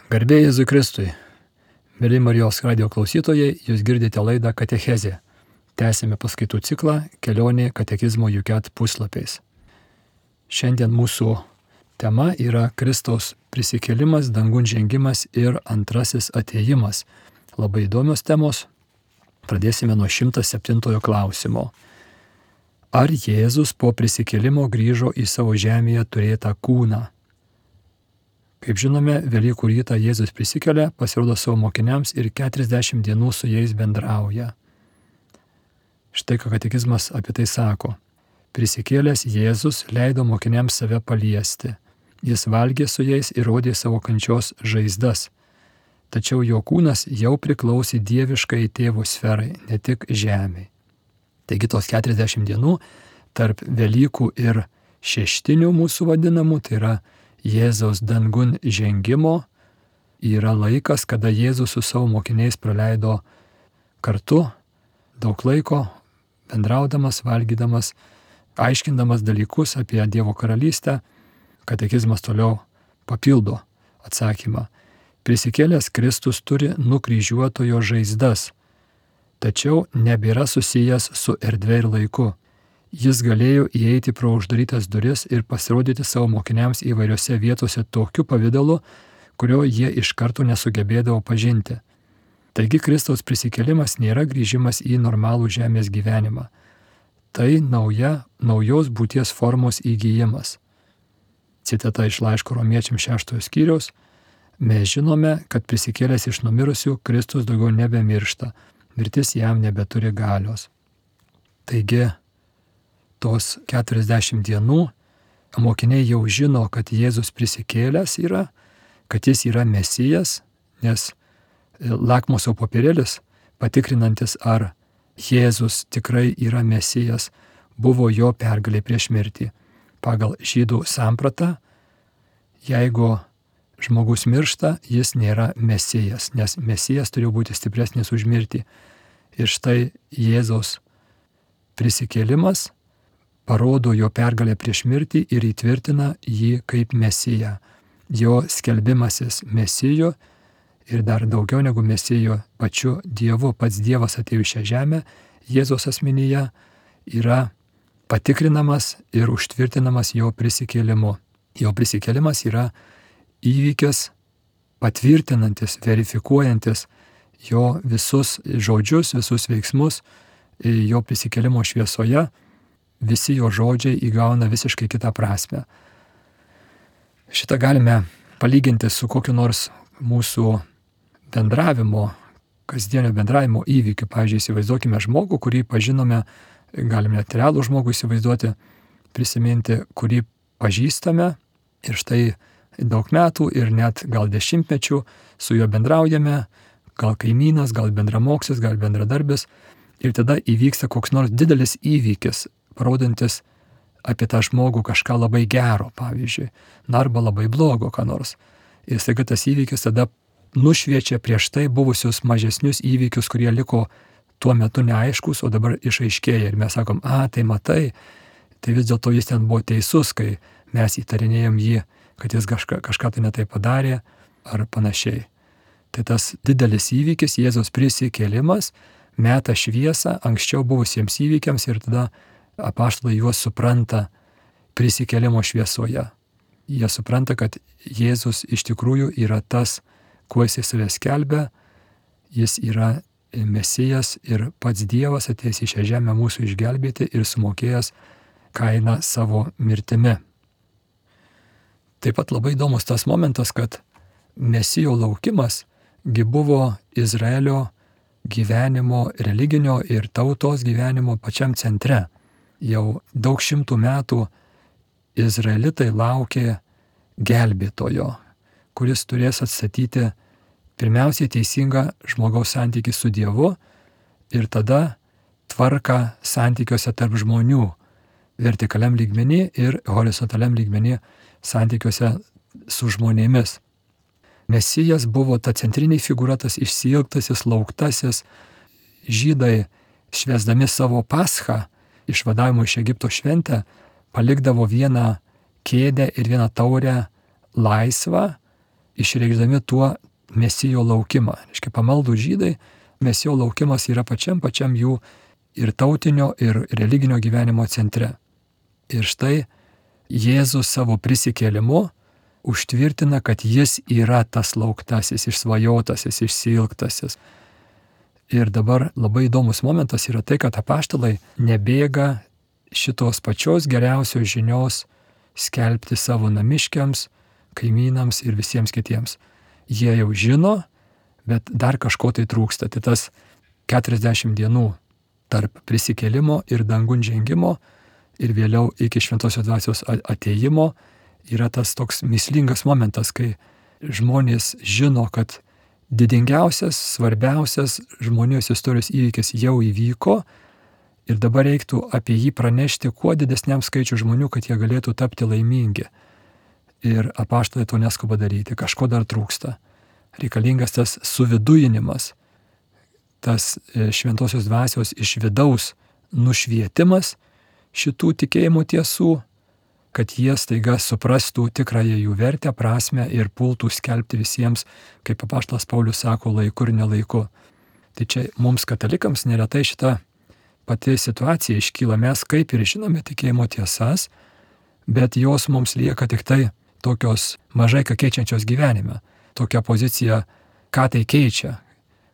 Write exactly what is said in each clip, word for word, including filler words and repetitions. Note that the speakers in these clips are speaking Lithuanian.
Garbė Jėzui Kristui. Mėly Marijos radijo klausytojai, jūs girdite laidą Katechezė. Tęsime paskaitų ciklą Kelionė katekizmo Juket puslapiais. Šiandien mūsų tema yra Kristaus prisikėlimas, dangun žengimas ir antrasis atėjimas. Labai įdomios temos. Pradėsime nuo šimtas septintojo klausimo. Ar Jėzus po prisikėlimo grįžo į savo žemėje turėtą kūną? Kaip žinome, Velykų rytą Jėzus prisikelia, pasirodo savo mokiniams ir keturiasdešimt dienų su jais bendrauja. Štai ką katekizmas apie tai sako. Prisikėlęs Jėzus leido mokiniams save paliesti. Jis valgė su jais ir rodė savo kančios žaizdas. Tačiau jo kūnas jau priklausė dieviškai tėvo sferai, ne tik žemei. Taigi tos keturiasdešimt dienų tarp Velykų ir šeštinių mūsų vadinamų, tai yra Jėzaus dangun žengimo, yra laikas, kada Jėzus su savo mokiniais praleido kartu daug laiko, bendraudamas, valgydamas, aiškindamas dalykus apie Dievo karalystę. Katekizmas toliau papildo atsakymą. Prisikėlęs Kristus turi nukryžiuotojo žaizdas, tačiau nebėra susijęs su erdve ir laiku. Jis galėjo įeiti pro uždarytas duris ir pasirodyti savo mokiniams įvairiose vietose tokiu pavidalu, kurio jie iš karto nesugebėdavo pažinti. Taigi Kristaus prisikėlimas nėra grįžimas į normalų žemės gyvenimą. Tai nauja, naujos būties formos įgijimas. Citata iš laiško Romiečiams šeštojo skyriaus. Mes žinome, kad prisikėlęs iš numirusių Kristus daugiau nebemiršta. Mirtis jam nebeturi galios. Taigi, tos keturiasdešimt dienų mokiniai jau žino, kad Jėzus prisikėlęs yra, kad jis yra Mesijas, nes lakmuso popierėlis, patikrinantis, ar Jėzus tikrai yra Mesijas, buvo jo pergalė prieš mirtį. Pagal žydų sampratą, jeigu žmogus miršta, jis nėra Mesijas, nes Mesijas turėjo būti stipresnis už mirtį. Ir štai Jėzaus prisikėlimas parodo jo pergalę prieš mirtį ir įtvirtina jį kaip Mesiją. Jo skelbimasis Mesiju ir dar daugiau negu Mesiju pačiu Dievu, pats Dievas atėjo į šią žemę, Jėzaus asmenyje yra patikrinamas ir užtvirtinamas jo prisikėlimu. Jo prisikėlimas yra įvykis patvirtinantis, verifikuojantis jo visus žodžius, visus veiksmus, jo prisikėlimo šviesoje. Visi jo žodžiai įgauna visiškai kitą prasme. Šitą galime palyginti su kokiu nors mūsų bendravimo, kasdienio bendravimo įvykiu. Pavyzdžiui, įsivaizduokime žmogų, kurį pažinome, galime net realų žmogų įsivaizduoti, prisiminti, kurį pažįstame ir štai daug metų ir net gal dešimtmečių su juo bendraujame, gal kaimynas, gal bendramoksis, gal bendradarbis, ir tada įvyksta koks nors didelis įvykis, parodantis apie tą žmogų kažką labai gero, pavyzdžiui, na arba labai blogo, ką nors. Ir staiga tas įvykis tada nušviečia prieš tai buvusius mažesnius įvykius, kurie liko tuo metu neaiškus, o dabar išaiškėja. Ir mes sakom, a, tai matai, tai vis dėlto jis ten buvo teisus, kai mes įtarinėjom jį, kad jis kažką, kažką tai netai padarė ar panašiai. Tai tas didelis įvykis, Jėzaus prisikėlimas, meta šviesą anksčiau buvusiems įvykiams ir tada apaštalai juos supranta prisikėlimo šviesoje. Jie supranta, kad Jėzus iš tikrųjų yra tas, kuo jis save skelbia, jis yra Mesijas ir pats Dievas atėjęs į šią žemę mūsų išgelbėti ir sumokėjęs kainą savo mirtimi. Taip pat labai įdomus tas momentas, kad Mesijo laukimas gi buvo Izraelio gyvenimo, religinio ir tautos gyvenimo pačiam centre. Jau daug šimtų metų izraelitai laukė gelbėtojo, kuris turės atstatyti pirmiausiai teisingą žmogaus santykį su Dievu ir tada tvarką santykiuose tarp žmonių, vertikaliam lygmenį ir horizontaliam lygmenį santykiuose su žmonėmis. Mesijas buvo ta centrinė figūra, tas išsiilgtasis, lauktasis. Žydai, švęsdami savo paschą, išvadavimo iš Egipto šventę, palikdavo vieną kėdę ir vieną taurę laisvą išreikšdami tuo mesijo laukimą. Reiškia, pamaldų žydai, mesijo laukimas yra pačiam pačiam jų ir tautinio, ir religinio gyvenimo centre. Ir štai Jėzus savo prisikėlimu užtvirtina, kad jis yra tas lauktasis, išsvajotasis, išsiilgtasis. Ir dabar labai įdomus momentas yra tai, kad apaštalai nebėga šitos pačios geriausios žinios skelbti savo namiškiams, kaimynams ir visiems kitiems. Jie jau žino, bet dar kažko tai trūksta. Tai tas keturiasdešimt dienų tarp prisikėlimo ir dangun žengimo ir vėliau iki šventosios dvasios atėjimo yra tas toks mįslingas momentas, kai žmonės žino, kad didingiausias, svarbiausias žmonijos istorijos įvykis jau įvyko ir dabar reiktų apie jį pranešti kuo didesniam skaičiu žmonių, kad jie galėtų tapti laimingi. Ir apaštalai to neskuba daryti, kažko dar trūksta. Reikalingas tas suvidujinimas, tas šventosios dvasios iš vidaus nušvietimas šitų tikėjimo tiesų, kad jie staiga suprastų tikrąją jų vertę, prasmę ir pultų skelbti visiems, kaip apaštalas Paulius sako, laiku ir nelaiku. Tai čia mums katalikams neretai šita pati situacija iškyla. Mes kaip ir žinome tikėjimo tiesas, bet jos mums lieka tik tai tokios mažai ką keičiančios gyvenime. Tokia pozicija, ką tai keičia,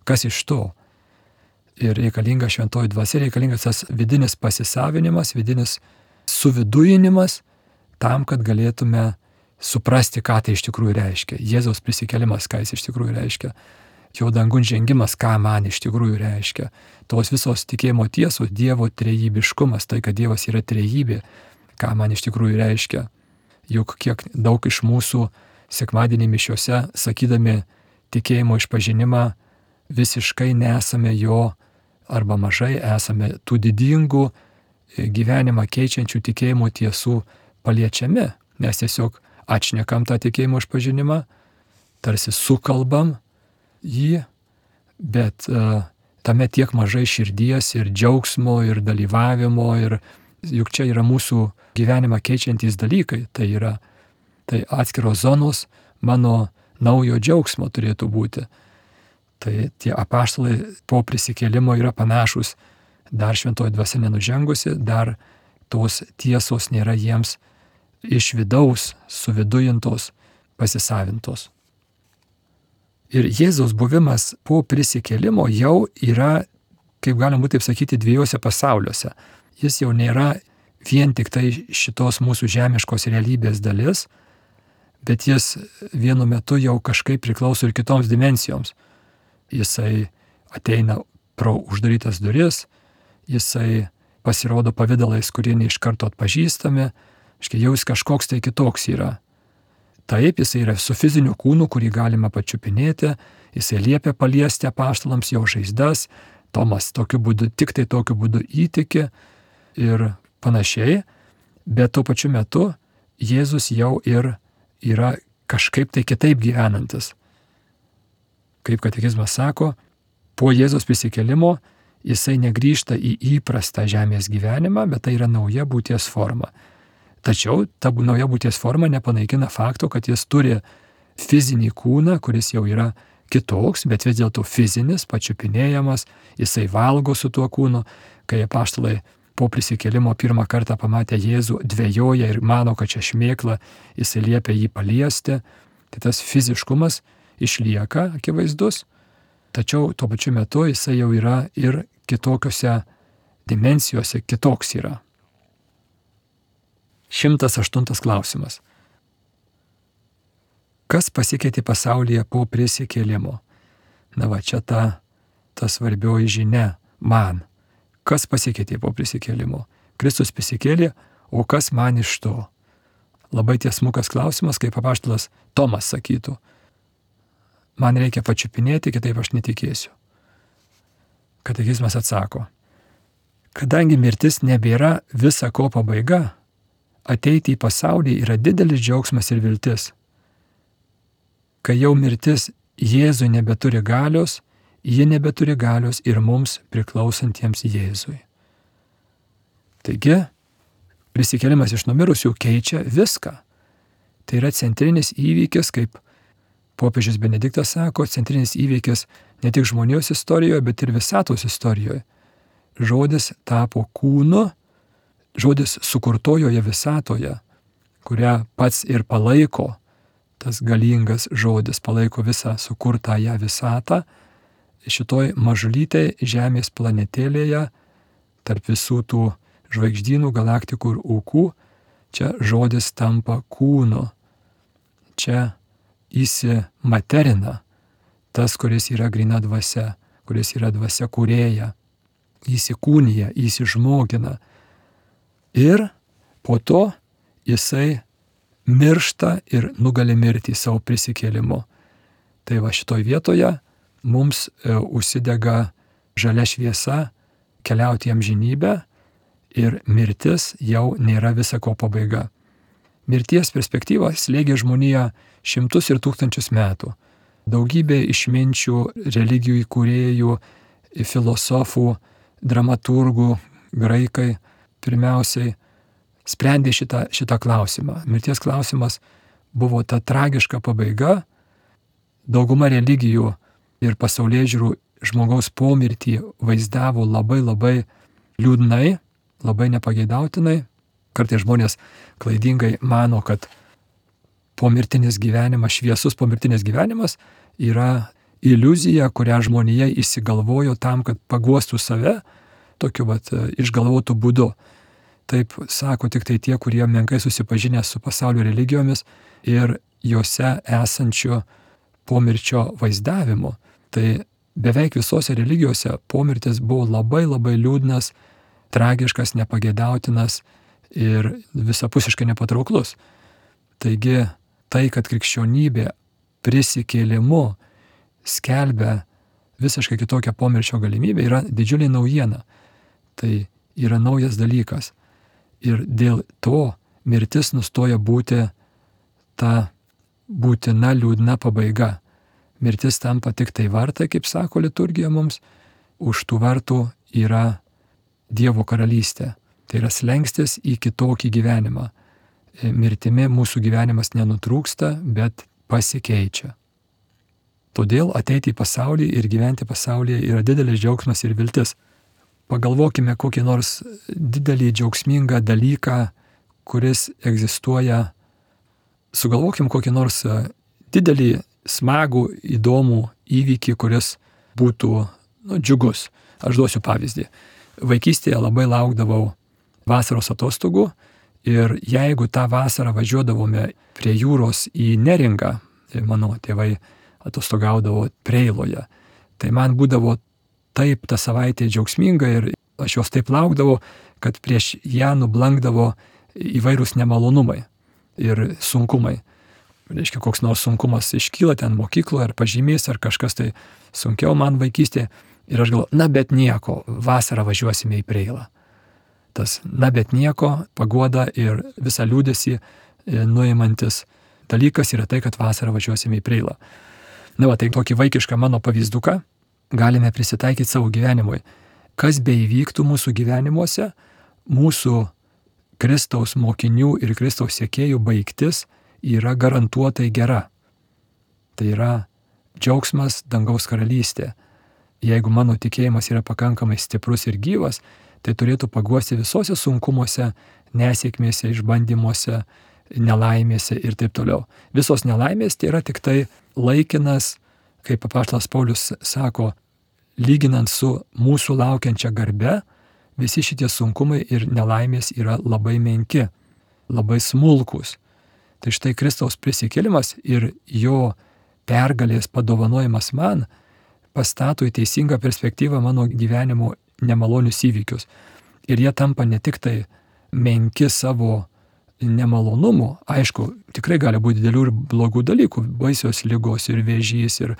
kas iš to. Ir reikalinga šventoji dvasia, reikalingas tas vidinis pasisavinimas, vidinis suvidujinimas, tam, kad galėtume suprasti, ką tai iš tikrųjų reiškia. Jėzaus prisikėlimas, ką jis iš tikrųjų reiškia. Jo dangun žengimas, ką man iš tikrųjų reiškia. Tos visos tikėjimo tiesos, Dievo trejybiškumas, tai, kad Dievas yra trejybė, ką man iš tikrųjų reiškia. Juk kiek daug iš mūsų sekmadienį mišiose, sakydami tikėjimo išpažinimą, visiškai nesame jo arba mažai esame tų didingų gyvenimą keičiančių tikėjimo tiesų paliečiami. Mes tiesiog atšnekam tą tikėjimo išpažinimą, tarsi sukalbam jį, bet uh, tame tiek mažai širdies ir džiaugsmo ir dalyvavimo, ir juk čia yra mūsų gyvenimą keičiantys dalykai. Tai yra tai atskiros zonos mano naujo džiaugsmo turėtų būti. Tai tie apaštalai po prisikėlimo yra panašus, dar šventoji dvasia nenužengusi, dar tos tiesos nėra jiems iš vidaus suvidujintos, pasisavintos. Ir Jėzaus buvimas po prisikėlimo jau yra, kaip galima būtų taip sakyti, dviejose pasauliuose. Jis jau nėra vien tik tai šitos mūsų žemiškos realybės dalis, bet jis vienu metu jau kažkaip priklauso ir kitoms dimensijoms. Jisai ateina pro uždarytas duris, jisai pasirodo pavidalais, kurie ne iš karto atpažįstami, aiškiai, jau jis kažkoks tai kitoks yra. Taip, jisai yra su fiziniu kūnu, kurį galima pačiupinėti, jisai liepia paliesti apaštalams jo žaizdas, Tomas tokiu būdu, tik tai tokiu būdu įtiki ir panašiai, bet tuo pačiu metu Jėzus jau ir yra kažkaip tai kitaip gyvenantis. Kaip katekizmas sako, po Jėzaus prisikėlimo jisai negrįžta į įprastą žemės gyvenimą, bet tai yra nauja būties forma. Tačiau ta nauja būties forma nepanaikina fakto, kad jis turi fizinį kūną, kuris jau yra kitoks, bet vis dėlto fizinis, pačiupinėjamas, jisai valgo su tuo kūnu. Kai apaštalai po prisikėlimo pirmą kartą pamatė Jėzų, dvejoja ir mano, kad čia šmėkla, jisai liepia jį paliesti. Tai tas fiziškumas išlieka akivaizdus, tačiau tuo pačiu metu jisai jau yra ir kitokiose dimensijose, kitoks yra. Šimtas aštuntas klausimas. Kas pasikeitė pasaulyje po prisikėlimo? Na va, čia ta, ta svarbioji žinia man. Kas pasikeitė po prisikėlimo? Kristus prisikėlė, o kas man iš to? Labai tiesmukas klausimas, kaip apaštalas Tomas sakytų. Man reikia pačiupinėti, kitaip aš netikėsiu. Katekizmas atsako, kadangi mirtis nebėra visa ko pabaiga, ateiti į pasaulį yra didelis džiaugsmas ir viltis. Kai jau mirtis Jėzui nebeturi galios, ji nebeturi galios ir mums priklausantiems Jėzui. Taigi, prisikėlimas iš numirusių keičia viską. Tai yra centrinis įvykis, kaip popiežius Benediktas sako, centrinis įvykis ne tik žmonijos istorijoje, bet ir visatos istorijoje. Žodis tapo kūnu, žodis sukurtojoje visatoje, kurią pats ir palaiko, tas galingas žodis palaiko visą sukurtąją visatą, šitoj mažulytėj žemės planetėlėje, tarp visų tų žvaigždynų, galaktikų ir ūkų, čia žodis tampa kūnu. Čia įsimaterina tas, kuris yra gryna dvasia, kuris yra dvasia kūrėja, įsikūnija, įsižmogina. Ir po to jisai miršta ir nugali mirtį savo prisikėlimu. Tai va šitoj vietoje mums e, užsidega žalia šviesa keliauti į amžinybę ir mirtis jau nėra visako pabaiga. Mirties perspektyva slėgė žmoniją šimtus ir tūkstančius metų. Daugybė išminčių, religijų įkūrėjų, filosofų, dramaturgų, graikai pirmiausiai sprendė šitą, šitą klausimą. Mirties klausimas buvo ta tragiška pabaiga. Dauguma religijų ir pasaulėžiūrų žmogaus pomirtį vaizdavo labai labai liūdnai, labai nepageidautinai. Kartais žmonės klaidingai mano, kad pomirtinis gyvenimas, šviesus pomirtinis gyvenimas yra iliuzija, kurią žmonija įsigalvojo tam, kad paguostų save tokiu vat išgalvotų būdu. Taip sako tik tai tie, kurie menkai susipažinę su pasaulio religijomis ir juose esančiu pomirčio vaizdavimu. Tai beveik visose religijose pomirtis buvo labai labai liūdnas, tragiškas, nepageidautinas ir visapusiškai nepatrauklus. Taigi tai, kad krikščionybė prisikėlimu skelbia visiškai kitokią pomirčio galimybę, yra didžiulė naujiena. Tai yra naujas dalykas. Ir dėl to mirtis nustoja būti ta būtina liūdna pabaiga. Mirtis tampa tik tai vartai, kaip sako liturgija mums, už tų vartų yra Dievo karalystė. Tai yra slengstis į kitokį gyvenimą. Mirtimi mūsų gyvenimas nenutrūksta, bet pasikeičia. Todėl ateiti į pasaulį ir gyventi pasaulyje yra didelis džiaugsmas ir viltis. Pagalvokime kokį nors didelį džiaugsmingą dalyką, kuris egzistuoja. Sugalvokim kokį nors didelį, smagų, įdomų įvykį, kuris būtų nu, džiugus. Aš duosiu pavyzdį. Vaikystėje labai laukdavau vasaros atostogų ir jeigu tą vasarą važiuodavome prie jūros į Neringą, mano tėvai atostogaudavo Preiloje, tai man būdavo taip ta savaitė džiaugsminga ir aš jos taip laukdavau, kad prieš ją nublankdavo įvairūs nemalonumai ir sunkumai. Reiškia, koks nors sunkumas iškyla ten mokykloje ar pažymys ar kažkas tai sunkiau man vaikystėje ir aš galvoju, na bet nieko, vasarą važiuosime į Preilą. Tas na bet nieko, paguoda ir visą liūdesį nuimantis dalykas yra tai, kad vasarą važiuosime į Preilą. Na va, tai tokį vaikišką mano pavyzduką galime prisitaikyti savo gyvenimui. Kas beįvyktų mūsų gyvenimuose, mūsų Kristaus mokinių ir Kristaus sekėjų baigtis yra garantuotai gera. Tai yra džiaugsmas dangaus karalystė. Jeigu mano tikėjimas yra pakankamai stiprus ir gyvas, tai turėtų paguosti visose sunkumuose, nesėkmėse, išbandymuose, nelaimėse ir taip toliau. Visos nelaimės tai yra tik tai laikinas, kaip apaštalas Paulius sako, lyginant su mūsų laukiančia garbe, visi šitie sunkumai ir nelaimės yra labai menki, labai smulkus. Tai štai Kristaus prisikėlimas ir jo pergalės padovanojimas man pastato į teisingą perspektyvą mano gyvenimo nemalonius įvykius. Ir jie tampa ne tik tai menki savo nemalonumų, aišku, tikrai gali būti didelių ir blogų dalykų, baisios ligos ir vėžys ir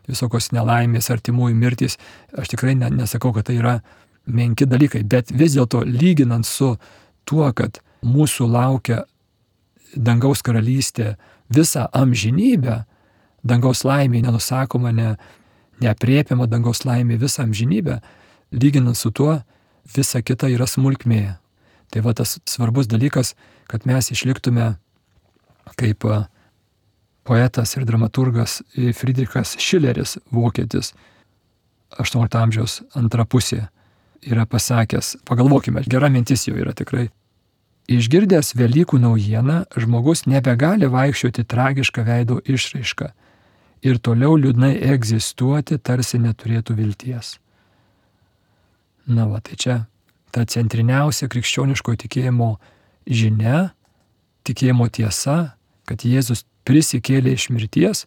visokios nelaimės, artimųjų mirtys. Aš tikrai ne, nesakau, kad tai yra menki dalykai, bet vis dėlto lyginant su tuo, kad mūsų laukia dangaus karalystė visą amžinybę, dangaus laimė nenusakoma, ne, neaprėpiama dangaus laimė visą amžinybę, lyginant su tuo, visa kita yra smulkmė. Tai va tas svarbus dalykas, kad mes išliktume kaip poetas ir dramaturgas Friedrichas Šileris, vokietis, aštuoniolikto amžiaus antra pusė, yra pasakęs, pagalvokime, gera mintis jau yra tikrai. Išgirdęs Velykų naujieną, žmogus nebegali vaikščioti tragišką veido išraišką ir toliau liūdnai egzistuoti, tarsi neturėtų vilties. Na va, tai čia ta centriniausia krikščioniško tikėjimo žinia, tikėjimo tiesa, kad Jėzus prisikėlė iš mirties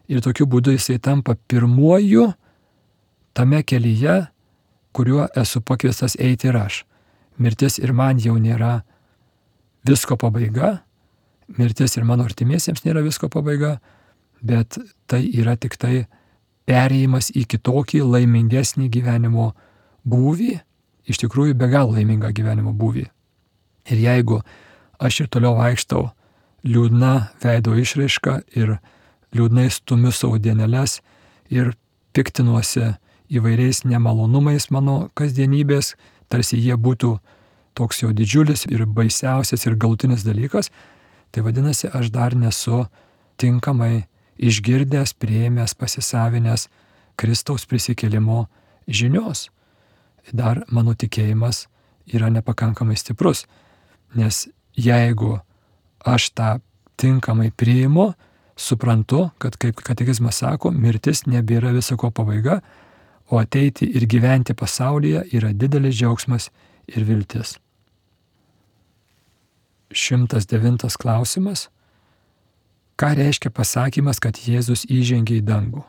ir tokiu būdu jisai tampa pirmuoju tame kelyje, kuriuo esu pakviestas eiti ir aš. Mirtis ir man jau nėra visko pabaiga, mirtis ir mano artimiesiems nėra visko pabaiga, bet tai yra tik tai perėjimas į kitokį laimingesnį gyvenimo būvį, iš tikrųjų be galo laimingą gyvenimo būvį. Ir jeigu aš ir toliau vaikštau liūdna veido išraiška ir liūdnai stumiu savo dieneles ir piktinuosi įvairiais nemalonumais mano kasdienybės, tarsi jie būtų toks jau didžiulis ir baisiausias ir galutinis dalykas, tai vadinasi, aš dar nesu tinkamai išgirdęs, priėmęs, pasisavinęs Kristaus prisikėlimo žinios. Dar mano tikėjimas yra nepakankamai stiprus, nes jeigu aš tą tinkamai priimu, suprantu, kad kaip katekizmas sako, mirtis nebėra visako pabaiga, o ateiti ir gyventi pasaulyje yra didelis džiaugsmas ir viltis. šimtas devintas klausimas. Ką reiškia pasakymas, kad Jėzus įžengė į dangų?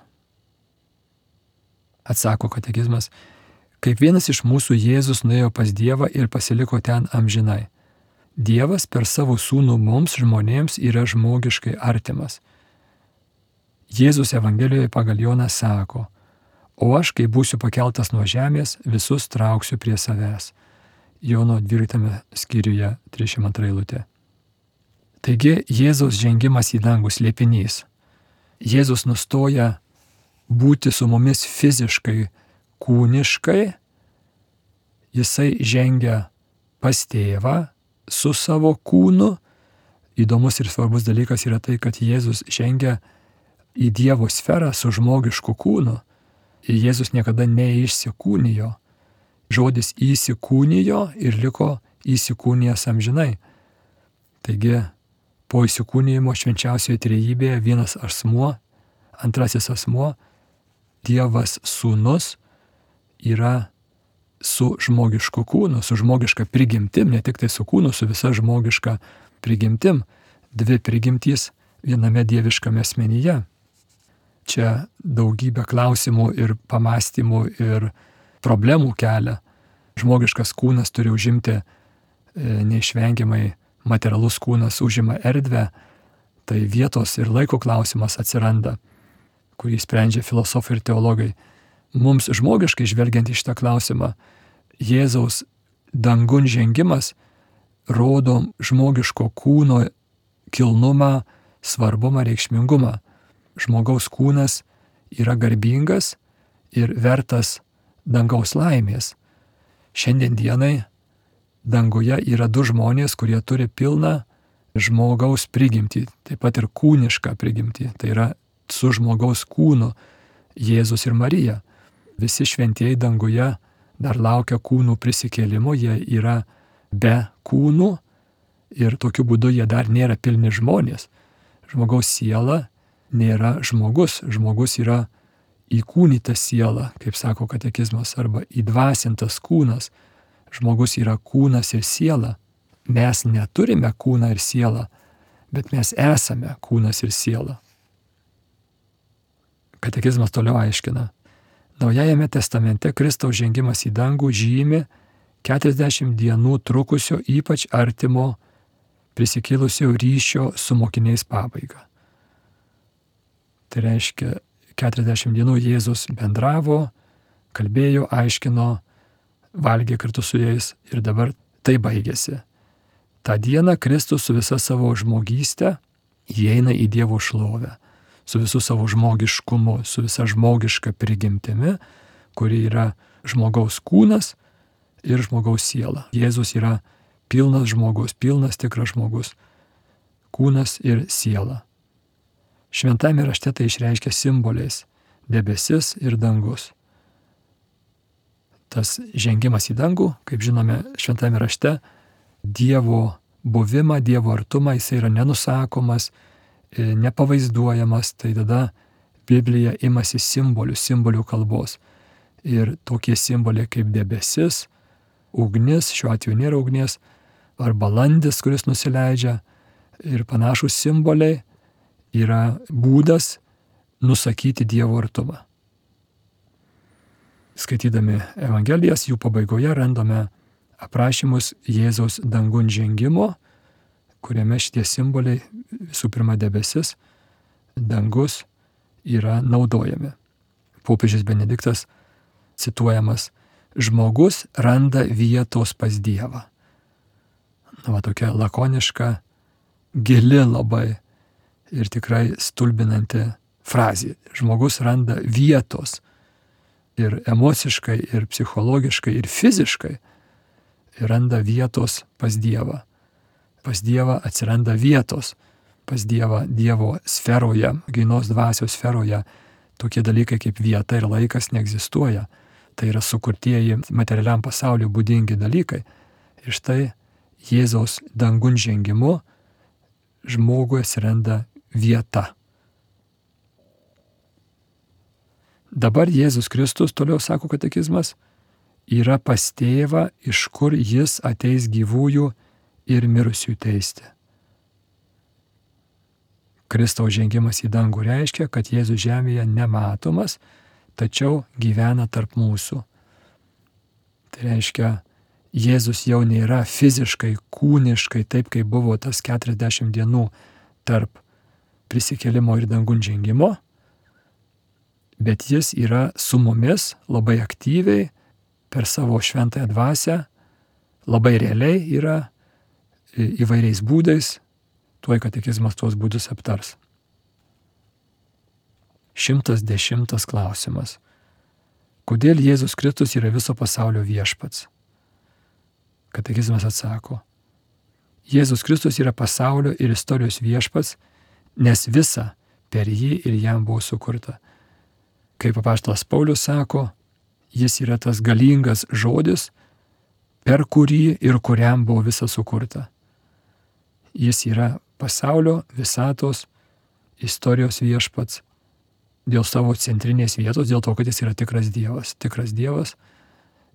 Atsako katekizmas, kaip vienas iš mūsų Jėzus nuėjo pas Dievą ir pasiliko ten amžinai. Dievas per savo sūnų mums žmonėms yra žmogiškai artimas. Jėzus Evangelijoje pagal Joną sako, o aš, kai būsiu pakeltas nuo žemės, visus trauksiu prie savęs. Jono dvyliktame skyriuje trisdešimt antra eilutė. Taigi Jėzaus žengimas į dangų slėpinys. Jėzus nustoja būti su mumis fiziškai, kūniškai, jisai žengia pas tėvą su savo kūnu. Įdomus ir svarbus dalykas yra tai, kad Jėzus žengia į Dievo sferą su žmogišku kūnu. Jėzus niekada neišsikūnijo. Žodis įsikūnijo ir liko įsikūnijęs amžinai. Taigi, po įsikūnijimo švenčiausioje trejybėje vienas asmuo, antrasis asmuo, Dievas sūnus yra su žmogišku kūnu, su žmogiška prigimtim, ne tik tai su kūnu, su visa žmogiška prigimtim. Dvi prigimtys viename dieviškame asmenyje. Čia daugybė klausimų ir pamastymų ir problemų kelia. Žmogiškas kūnas turi užimti, e, neišvengiamai materialus kūnas užima erdvę, tai vietos ir laiko klausimas atsiranda, kurį sprendžia filosofai ir teologai. Mums žmogiškai žvelgiant į šitą klausimą, Jėzaus dangun žengimas rodo žmogiško kūno kilnumą, svarbumą, reikšmingumą. Žmogaus kūnas yra garbingas ir vertas dangaus laimės. Šiandien dienai danguje yra du žmonės, kurie turi pilną žmogaus prigimtį, taip pat ir kūnišką prigimtį. Tai yra su žmogaus kūnu Jėzus ir Marija. Visi šventieji danguje dar laukia kūnų prisikėlimo, jie yra be kūnų ir tokiu būdu jie dar nėra pilni žmonės. Žmogaus siela nėra žmogus, žmogus yra įkūnyta siela, kaip sako katekizmas, arba įdvasintas kūnas. Žmogus yra kūnas ir siela. Mes neturime kūną ir sielą, bet mes esame kūnas ir siela. Katekizmas toliau aiškina. Naujajame testamente Kristaus žengimas į dangų žymi keturiasdešimt dienų trukusio ypač artimo prisikėlusio ryšio su mokiniais pabaigą. Tai reiškia, keturiasdešimt dienų Jėzus bendravo, kalbėjo, aiškino, valgė kartu su jais ir dabar tai baigėsi. Ta diena Kristus su visa savo žmogystė įeina į Dievo šlovę, su visu savo žmogiškumu, su visa žmogiška prigimtimi, kuri yra žmogaus kūnas ir žmogaus siela. Jėzus yra pilnas žmogus, pilnas tikras žmogus, kūnas ir siela. Šventame rašte tai išreiškia simboliais – debesis ir dangus. Tas žengimas į dangų, kaip žinome, šventame rašte, Dievo buvimą, Dievo artumą, jis yra nenusakomas, nepavaizduojamas, tai tada Biblija imasi simbolių, simbolių kalbos. Ir tokie simboliai kaip debesis, ugnis, šiuo atveju nėra ugnies, ar balandis, kuris nusileidžia, ir panašus simboliai yra būdas nusakyti Dievo artumą. Skaitydami Evangelijas, jų pabaigoje randame aprašymus Jėzaus dangun žengimo, kuriame šitie simboliai, visų pirma debesis, dangus, yra naudojami. Popiežius Benediktas cituojamas: žmogus randa vietos pas Dievą. Na, va, tokia lakoniška, gili labai ir tikrai stulbinanti frazė. Žmogus randa vietos ir emociškai, ir psichologiškai, ir fiziškai randa vietos pas Dievą. Pas Dievą atsiranda vietos, pas Dievą Dievo sferoje, grynos dvasios sferoje. Tokie dalykai kaip vieta ir laikas neegzistuoja. Tai yra sukurtieji materialiam pasauliu būdingi dalykai. Ir štai Jėzaus dangun žengimu žmogui atsiranda vieta. Dabar Jėzus Kristus, toliau sako katekizmas, yra pas tėvą, iš kur jis ateis gyvųjų ir mirusių teisti. Kristaus žengimas į dangų reiškia, kad Jėzus žemėje nematomas, tačiau gyvena tarp mūsų. Tai reiškia, Jėzus jau nėra fiziškai, kūniškai, taip kaip buvo tas keturiasdešimt dienų tarp prisikėlimo ir dangun žengimo, bet jis yra su mumis labai aktyviai per savo šventąją dvasią, labai realiai yra įvairiais būdais, tuoj katekizmas tuos būdus aptars. Šimtas dešimtas klausimas. Kodėl Jėzus Kristus yra viso pasaulio viešpats? Katekizmas atsako. Jėzus Kristus yra pasaulio ir istorijos viešpats, nes visa per jį ir jam buvo sukurta. Kaip apaštalas Paulius sako, jis yra tas galingas žodis, per kurį ir kuriam buvo visa sukurta. Jis yra pasaulio, visatos, istorijos viešpats dėl savo centrinės vietos, dėl to, kad jis yra tikras Dievas. Tikras Dievas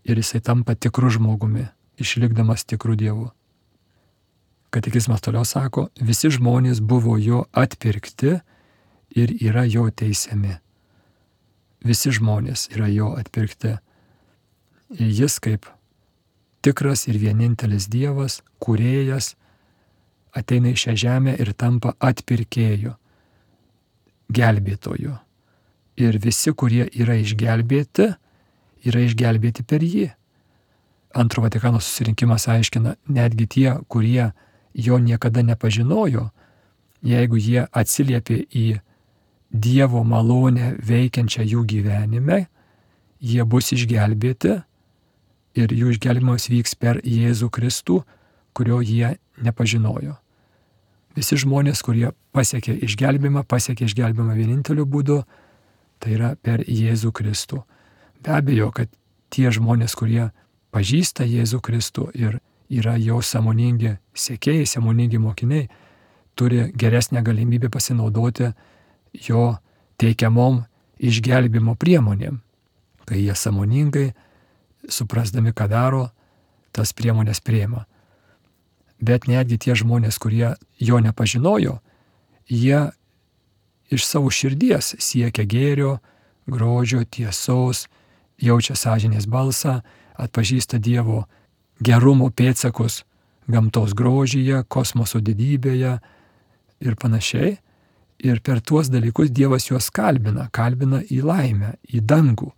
ir jisai tampa tikru žmogumi, išlikdamas tikrų Dievu. Katekizmas toliau sako, visi žmonės buvo jo atpirkti ir yra jo teisiami. Visi žmonės yra jo atpirkti. Ir jis kaip tikras ir vienintelis Dievas, kūrėjas, ateina į šią žemę ir tampa atpirkėju, gelbėtoju. Ir visi, kurie yra išgelbėti, yra išgelbėti per jį. Antro Vatikano susirinkimas aiškina, netgi tie, kurie jo niekada nepažinojo, jeigu jie atsiliepė į Dievo malonę veikiančią jų gyvenime, jie bus išgelbėti ir jų išgelbimas vyks per Jėzų Kristų, kurio jie nepažinojo. Visi žmonės, kurie pasiekė išgelbimą, pasiekė išgelbimą vieninteliu būdu, tai yra per Jėzų Kristų. Be abejo, kad tie žmonės, kurie pažįsta Jėzų Kristų ir yra jo sąmoningi sekėjai, sąmoningi mokiniai, turi geresnę galimybę pasinaudoti jo teikiamom išgelbimo priemonėm, kai jie sąmoningai, suprasdami, ką daro, tas priemonės priima. Bet netgi tie žmonės, kurie jo nepažinojo, jie iš savo širdies siekia gėrio, grožio, tiesos, jaučia sąžinės balsą, atpažįsta Dievo gerumo pėdsakus gamtos grožyje, kosmoso didybėje ir panašiai. Ir per tuos dalykus Dievas juos kalbina, kalbina į laimę, į dangų.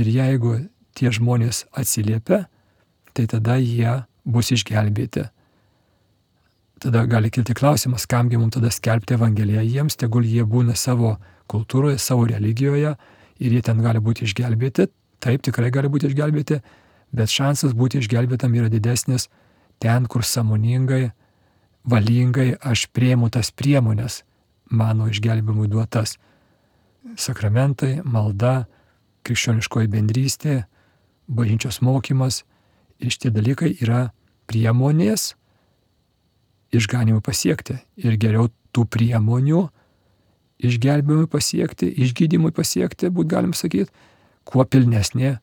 Ir jeigu tie žmonės atsiliepia, tai tada jie bus išgelbėti. Tada gali kilti klausimas, kamgi mums tada skelbti Evangeliją jiems, tegul jie būna savo kultūroje, savo religijoje ir jie ten gali būti išgelbėti. Taip, tikrai gali būti išgelbėti, bet šansas būti išgelbėtam yra didesnis ten, kur sąmoningai, valingai aš priimu tas priemonės mano išgelbėjimui duotas. Sakramentai, malda, krikščioniškoji bendrystė, bažnyčios mokymas ir šitie dalykai yra priemonės išganimui pasiekti. Ir geriau tų priemonių išgelbėjimui pasiekti, išgydymui pasiekti, būt galim sakyti, kuo pilnesnė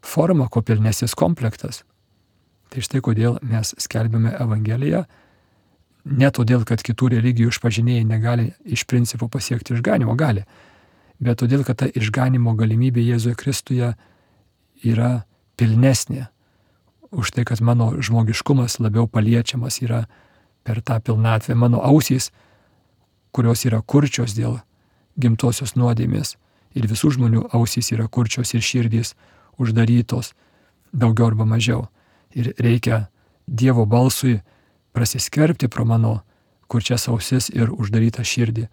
forma, kuo pilnesnis komplektas. Tai štai kodėl mes skelbiame Evangeliją, ne todėl, kad kitų religijų išpažinėjai negali iš principo pasiekti išganimo, gali, bet todėl, kad ta išganimo galimybė Jėzuje Kristuje yra pilnesnė. Už tai, kad mano žmogiškumas labiau paliečiamas yra per tą pilnatvę, mano ausys, kurios yra kurčios dėl gimtosios nuodėmės, ir visų žmonių ausys yra kurčios ir širdys uždarytos, daugiau arba mažiau. Ir reikia Dievo balsui prasiskverbti pro mano kurčias ausis ir uždarytą širdį.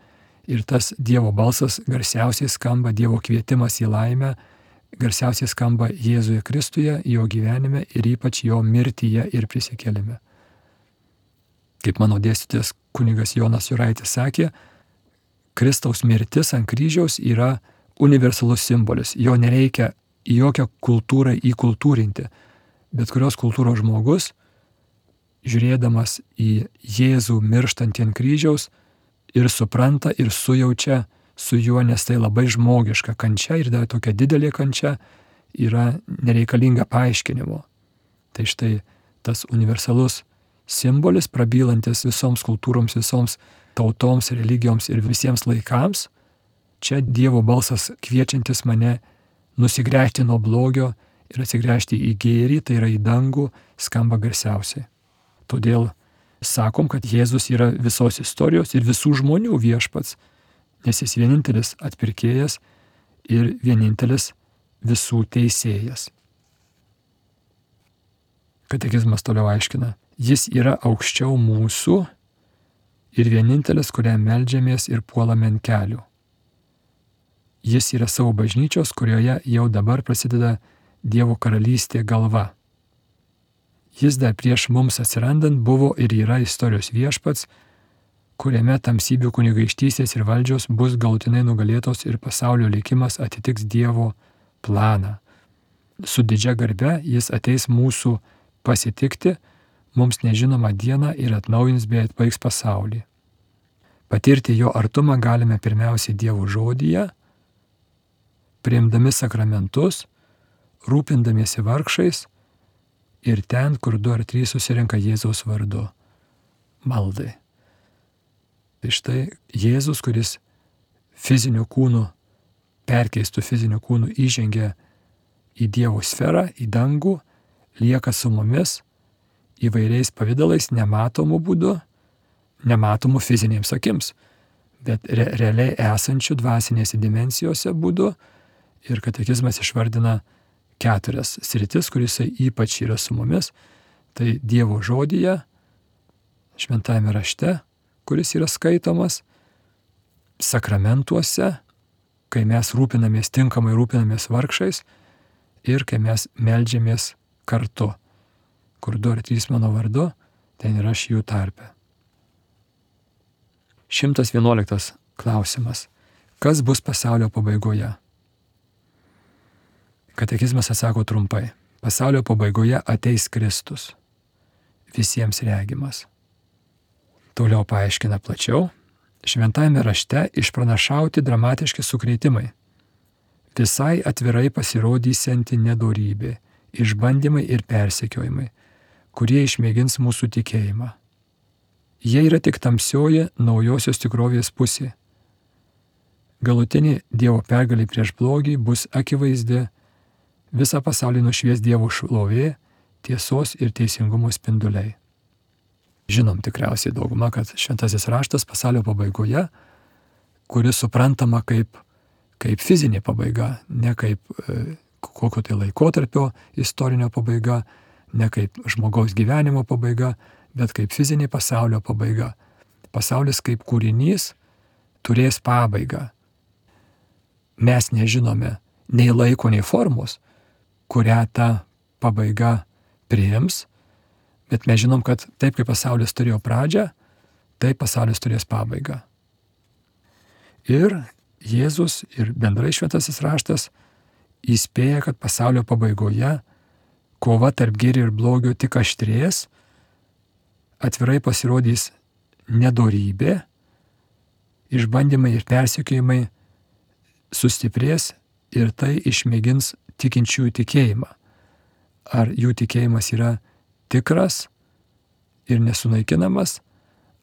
Ir tas Dievo balsas garsiausiai skamba, Dievo kvietimas į laimę, garsiausiai skamba Jėzuje Kristuje, jo gyvenime ir ypač jo mirtyje ir prisikėlime. Kaip mano dėstytojas kunigas Jonas Juraitis sakė, Kristaus mirtis ant kryžiaus yra universalus simbolis. Jo nereikia į jokią kultūrą įkultūrinti. Bet kurios kultūros žmogus, žiūrėdamas į Jėzų mirštantį ant kryžiaus, ir supranta, ir sujaučia su juo, nes tai labai žmogiška kančia ir dar tokia didelė kančia yra nereikalinga paaiškinimo. Tai štai tas universalus simbolis, prabylantis visoms kultūroms, visoms tautoms, religijoms ir visiems laikams, čia Dievo balsas kviečiantis mane nusigręžti nuo blogio ir atsigręžti į gėrį, tai yra į dangų, skamba garsiausiai. Todėl sakom, kad Jėzus yra visos istorijos ir visų žmonių viešpats, nes jis vienintelis atpirkėjas ir vienintelis visų teisėjas. Katekizmas toliau aiškina, jis yra aukščiau mūsų ir vienintelis, kuriam meldžiamės ir puolame ant kelių. Jis yra savo bažnyčios, kurioje jau dabar prasideda Dievo karalystė galva. Jis dar prieš mums atsirandant buvo ir yra istorijos viešpats, kuriame tamsybių kunigaikštystės ir valdžios bus galutinai nugalėtos ir pasaulio likimas atitiks Dievo planą. Su didžia garbe jis ateis mūsų pasitikti, mums nežinomą dieną ir atnaujins bei atbaigs pasaulį. Patirti jo artumą galime pirmiausiai Dievo žodyje, priimdami sakramentus, rūpindamiesi vargšais ir ten, kur du ar trys susirenka Jėzaus vardu – maldai. Tai štai Jėzus, kuris fiziniu kūnu, perkeistų fiziniu kūnu įžengia į Dievo sferą, į dangų, lieka su mumis įvairiais pavydalais, nematomų būdų, nematomų fizinėms akims, bet re- realiai esančių dvasinėse dimensijose būdų. Ir katekizmas išvardina keturias sritis, kurise ypač yra su mumis. Tai Dievo žodyje, šventajame rašte, kuris yra skaitomas, sakramentuose, kai mes rūpinamės, tinkamai rūpinamės vargšais ir kai mes meldžiamės kartu. Kur du ar trys mano vardu, ten ir aš jų tarpe. šimtas vienuoliktas klausimas. Kas bus pasaulio pabaigoje? Katekizmas atsako trumpai. Pasaulio pabaigoje ateis Kristus, visiems regimas. Toliau paaiškina plačiau. Šventajame rašte išpranašauti dramatiški sukrėtimai. Visai atvirai pasirodysianti nedorybė, išbandymai ir persekiojimai, kurie išmėgins mūsų tikėjimą. Jie yra tik tamsioji naujosios tikrovės pusė. Galutinė Dievo pergalė prieš blogį bus akivaizdi, visą pasaulį nušvies Dievo šlovė, tiesos ir teisingumo spinduliai. Žinom tikriausiai dauguma, kad šventasis raštas pasaulio pabaigoje, kuris suprantama kaip, kaip fizinė pabaiga, ne kaip e, kokio tai laikotarpio istorinio pabaiga, ne kaip žmogaus gyvenimo pabaiga, bet kaip fizinė pasaulio pabaiga. Pasaulis kaip kūrinys turės pabaigą. Mes nežinome nei laiko, nei formos, kurią ta pabaiga priims, bet mes žinom, kad taip kaip pasaulis turėjo pradžią, taip pasaulis turės pabaigą. Ir Jėzus ir bendrai šventasis raštas įspėja, kad pasaulio pabaigoje kova tarp gėrio ir blogio tik aštrės, atvirai pasirodys nedorybė, išbandymai ir persekiojimai sustiprės ir tai išmėgins tikinčiųjų tikėjimą. Ar jų tikėjimas yra tikras ir nesunaikinamas,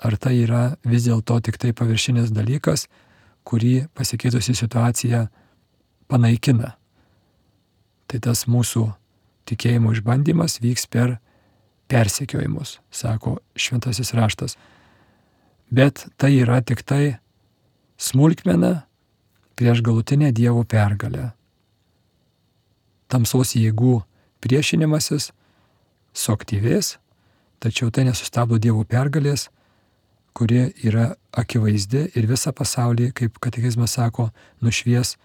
ar tai yra vis dėlto tik tai paviršinis dalykas, kurį pasikeitusi situacija panaikina. Tai tas mūsų tikėjimo išbandymas vyks per persekiojimus, sako šventasis raštas. Bet tai yra tik tai smulkmena prieš galutinę Dievo pergalę. Tamsos jėgų priešinimasis suaktyvės, tačiau tai nesustabdo Dievo pergalės, kuri yra akivaizdi ir visą pasaulį, kaip katekizmas sako, nušvies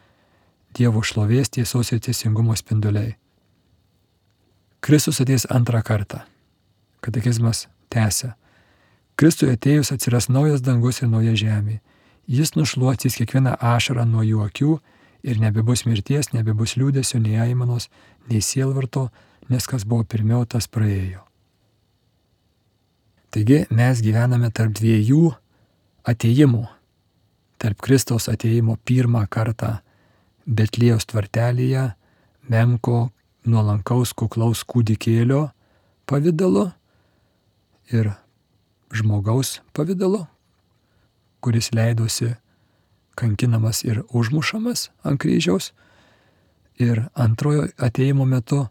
Dievo šlovės, tiesos ir teisingumo spinduliai. Kristus ateis antrą kartą. Katekizmas tęsia. Kristui atėjus atsiras naujas dangus ir nauja žemė. Jis nušluostys kiekvieną ašarą nuo jų akių ir nebebus mirties, nebebus liūdesio, nei aimanos, nei sielvarto, nes kas buvo pirmiau, tas praėjo. Taigi mes gyvename tarp dviejų atėjimų. Tarp Kristaus atėjimo pirmą kartą Betliejaus tvartelyje, menko, nuolankaus, kuklaus kūdikėlio pavidalu ir žmogaus pavidalu, kuris leidosi kankinamas ir užmušamas ant kryžiaus. Ir antrojo atėjimo metu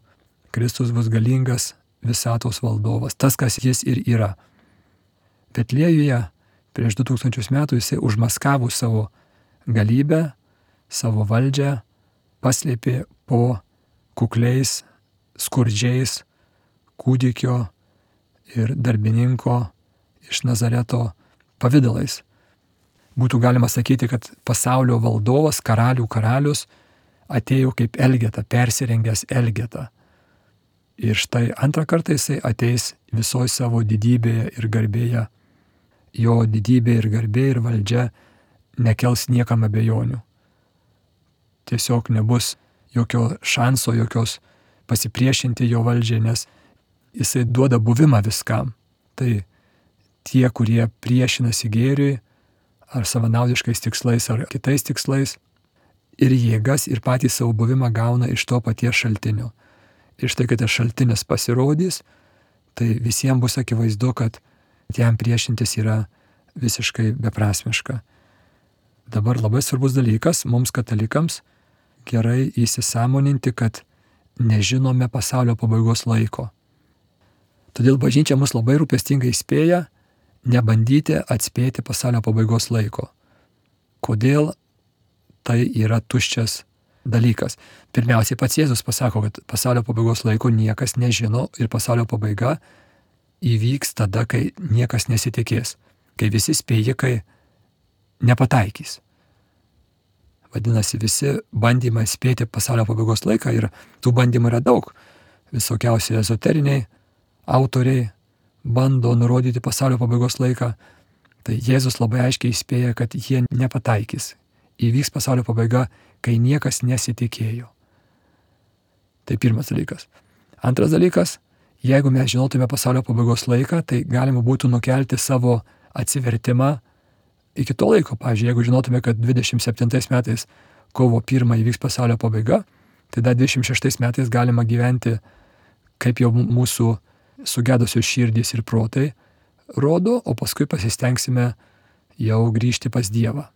Kristus bus galingas visatos valdovas, tas, kas jis ir yra. Betliejuje prieš du tūkstančius metų jisai užmaskavo savo galybę, savo valdžią, paslėpė po kukliais, skurdžiais kūdikio ir darbininko iš Nazareto pavidalais. Būtų galima sakyti, kad pasaulio valdovas, karalių karalius atėjo kaip Elgeta, persirengęs Elgeta. Ir štai antrą kartą jisai ateis visoje savo didybėje ir garbėje. Jo didybė ir garbė ir valdžia nekels niekam abejonių. Tiesiog nebus jokio šanso, jokios pasipriešinti jo valdžiai, nes jisai duoda buvimą viskam. Tai tie, kurie priešinasi gėriui, ar savanaudiškais tikslais, ar kitais tikslais, ir jėgas, ir patį savo buvimą gauna iš to paties šaltinio. Ir štai, kai tas šaltinis pasirodys, tai visiems bus akivaizdu, kad jam priešintis yra visiškai beprasmiška. Dabar labai svarbus dalykas mums katalikams gerai įsisąmoninti, kad nežinome pasaulio pabaigos laiko. Todėl bažnyčia mus labai rūpestingai įspėja nebandyti atspėti pasaulio pabaigos laiko. Kodėl tai yra tuščias dalykas? Pirmiausiai pats Jėzus pasako, kad pasaulio pabaigos laiko niekas nežino ir pasaulio pabaiga įvyks tada, kai niekas nesitikės, kai visi spėjikai nepataikys. Vadinasi, visi bandymai spėti pasaulio pabaigos laiką ir tų bandymų yra daug. Visokiausi ezoteriniai autoriai bando nurodyti pasaulio pabaigos laiką. Tai Jėzus labai aiškiai įspėja, kad jie nepataikys. Įvyks pasaulio pabaiga, kai niekas nesitikėjo. Tai pirmas dalykas. Antras dalykas, jeigu mes žinotume pasaulio pabaigos laiką, tai galima būtų nukelti savo atsivertimą iki to laiko. Pavyzdžiui, jeigu žinotume, kad dvidešimt septintais metais kovo pirmą įvyks pasaulio pabaiga, tai dar dvidešimt šeštais metais galima gyventi, kaip jau mūsų sugedusios širdys ir protai rodo, o paskui pasistengsime jau grįžti pas Dievą.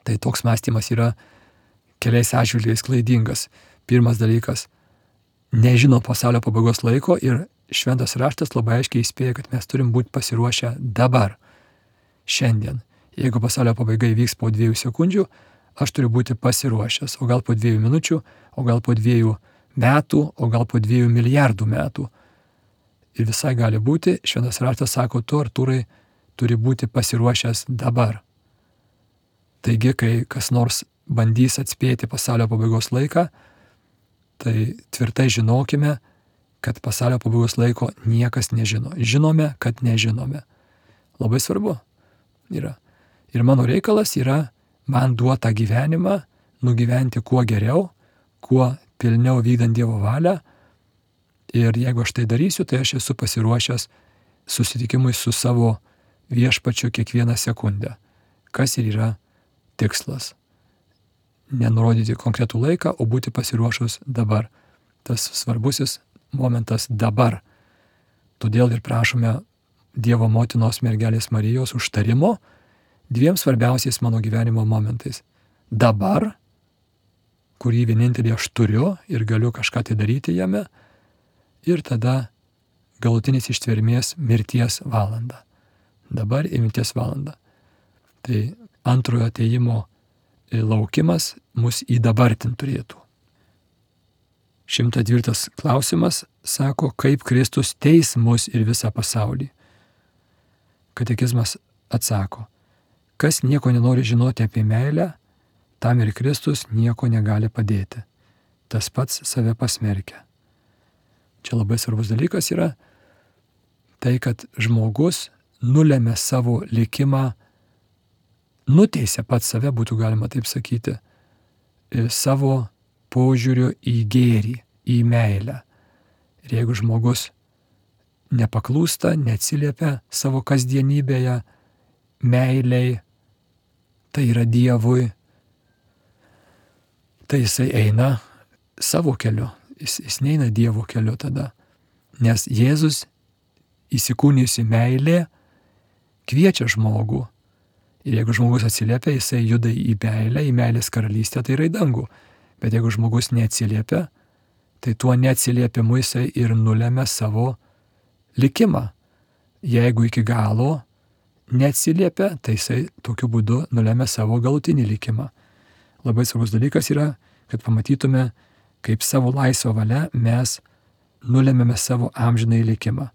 Tai toks mąstymas yra keliais atžvilgiais klaidingas. Pirmas dalykas, nežino pasaulio pabaigos laiko ir šventas raštas labai aiškiai įspėja, kad mes turim būti pasiruošę dabar, šiandien. Jeigu pasaulio pabaiga įvyks po dviejų sekundžių, aš turiu būti pasiruošęs, o gal po dviejų minučių, o gal po dviejų metų, o gal po dviejų milijardų metų. Ir visai gali būti, šventas raštas sako, tu, Artūrai, turi būti pasiruošęs dabar. Taigi, kai kas nors bandys atspėti pasaulio pabaigos laiką, tai tvirtai žinokime, kad pasaulio pabaigos laiko niekas nežino. Žinome, kad nežinome. Labai svarbu yra. Ir mano reikalas yra man duotą gyvenimą nugyventi kuo geriau, kuo pilniau vykdant Dievo valią. Ir jeigu aš tai darysiu, tai aš esu pasiruošęs susitikimui su savo viešpačiu kiekvieną sekundę. Kas ir yra tikslas. Nenurodyti konkretų laiką, o būti pasiruošus dabar. Tas svarbusis momentas dabar. Todėl ir prašome Dievo motinos mergelės Marijos užtarimo dviem svarbiausiais mano gyvenimo momentais. Dabar, kurį vienintelį aš turiu ir galiu kažką tai daryti jame, ir tada galutinis ištvermės mirties valanda. Dabar ir mirties valanda. Tai antrojo atėjimo laukimas mus įdabartint turėtų. Šimtas dvyliktas klausimas sako, kaip Kristus teis mus ir visą pasaulį. Katekizmas atsako, kas nieko nenori žinoti apie meilę, tam ir Kristus nieko negali padėti. Tas pats save pasmerkia. Čia labai svarbus dalykas yra tai, kad žmogus nulemia savo likimą, nuteisia pats save, būtų galima taip sakyti, savo požiūriu į gėrį, į meilę. Ir jeigu žmogus nepaklūsta, neatsiliepia savo kasdienybėje meiliai, tai yra Dievui, tai jisai eina savo keliu, jis, jis neina Dievo keliu tada. Nes Jėzus įsikūnijusi meilė kviečia žmogų. Ir jeigu žmogus atsiliepia, jisai juda į meilę, į meilės karalystę, tai yra į dangų. Bet jeigu žmogus neatsiliepia, tai tuo neatsiliepimu jisai ir nulemia savo likimą. Jeigu iki galo neatsiliepia, tai jisai tokiu būdu nulemia savo galutinį likimą. Labai svarbus dalykas yra, kad pamatytume, kaip savo laisvą valią mes nulemiame savo amžinai likimą.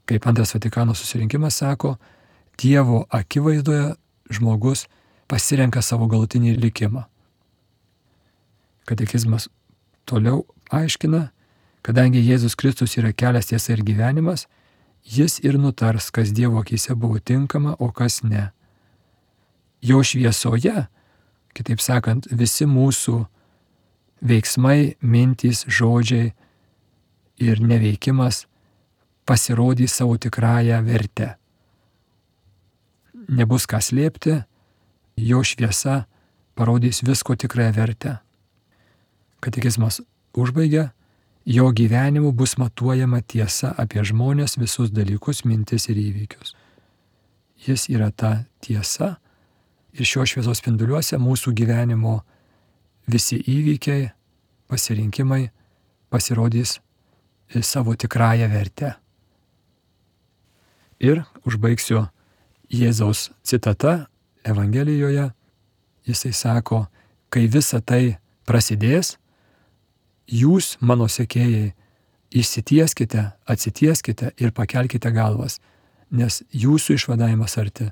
Kaip Antras Vatikano susirinkimas sako, Dievo akivaizdoje žmogus pasirenka savo galutinį likimą. Katekizmas toliau aiškina, kadangi Jėzus Kristus yra kelias, tiesa ir gyvenimas, jis ir nutars, kas Dievo akyse buvo tinkama, o kas ne. Jo šviesoje, kitaip sakant, visi mūsų veiksmai, mintys, žodžiai ir neveikimas pasirodys savo tikrąją vertę. Nebus ką slėpti, jo šviesa parodys visko tikrąją vertę. Katekizmas užbaigia, jo gyvenimu bus matuojama tiesa apie žmonės, visus dalykus, mintis ir įvykius. Jis yra ta tiesa ir šio šviesos spinduliuose mūsų gyvenimo visi įvykiai, pasirinkimai pasirodys savo tikrąją vertę. Ir užbaigsiu Jėzaus citata Evangelijoje. Jisai sako, kai visa tai prasidės, jūs, mano sekėjai, išsitieskite, atsitieskite ir pakelkite galvas, nes jūsų išvadavimas arti.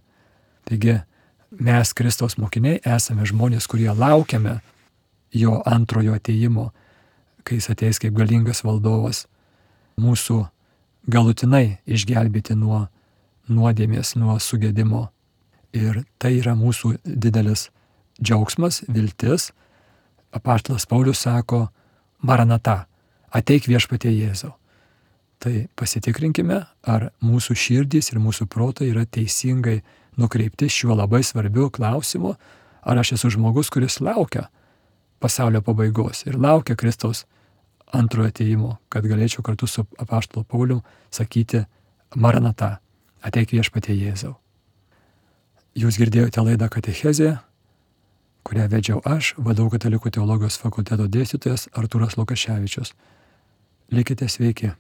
Taigi mes, Kristaus mokiniai, esame žmonės, kurie laukiame jo antrojo atėjimo, kai jis ateis kaip galingas valdovas, mūsų galutinai išgelbėti nuo nuodėmės, nuo sugedimo. Ir tai yra mūsų didelis džiaugsmas, viltis. Apaštalas Paulius sako, Maranata, ateik viešpatie Jėzau. Tai pasitikrinkime, ar mūsų širdys ir mūsų protai yra teisingai nukreipti šiuo labai svarbiu klausimu, ar aš esu žmogus, kuris laukia pasaulio pabaigos ir laukia Kristaus antrojo atėjimo, kad galėčiau kartu su apaštalu Paulium sakyti Maranata, ateik viešpatie Jėzau. Jūs girdėjote laidą Katechezė, kurią vedžiau aš, V D U Katalikų teologijos fakulteto dėstytojas Artūras Lukaševičius. Likite sveiki.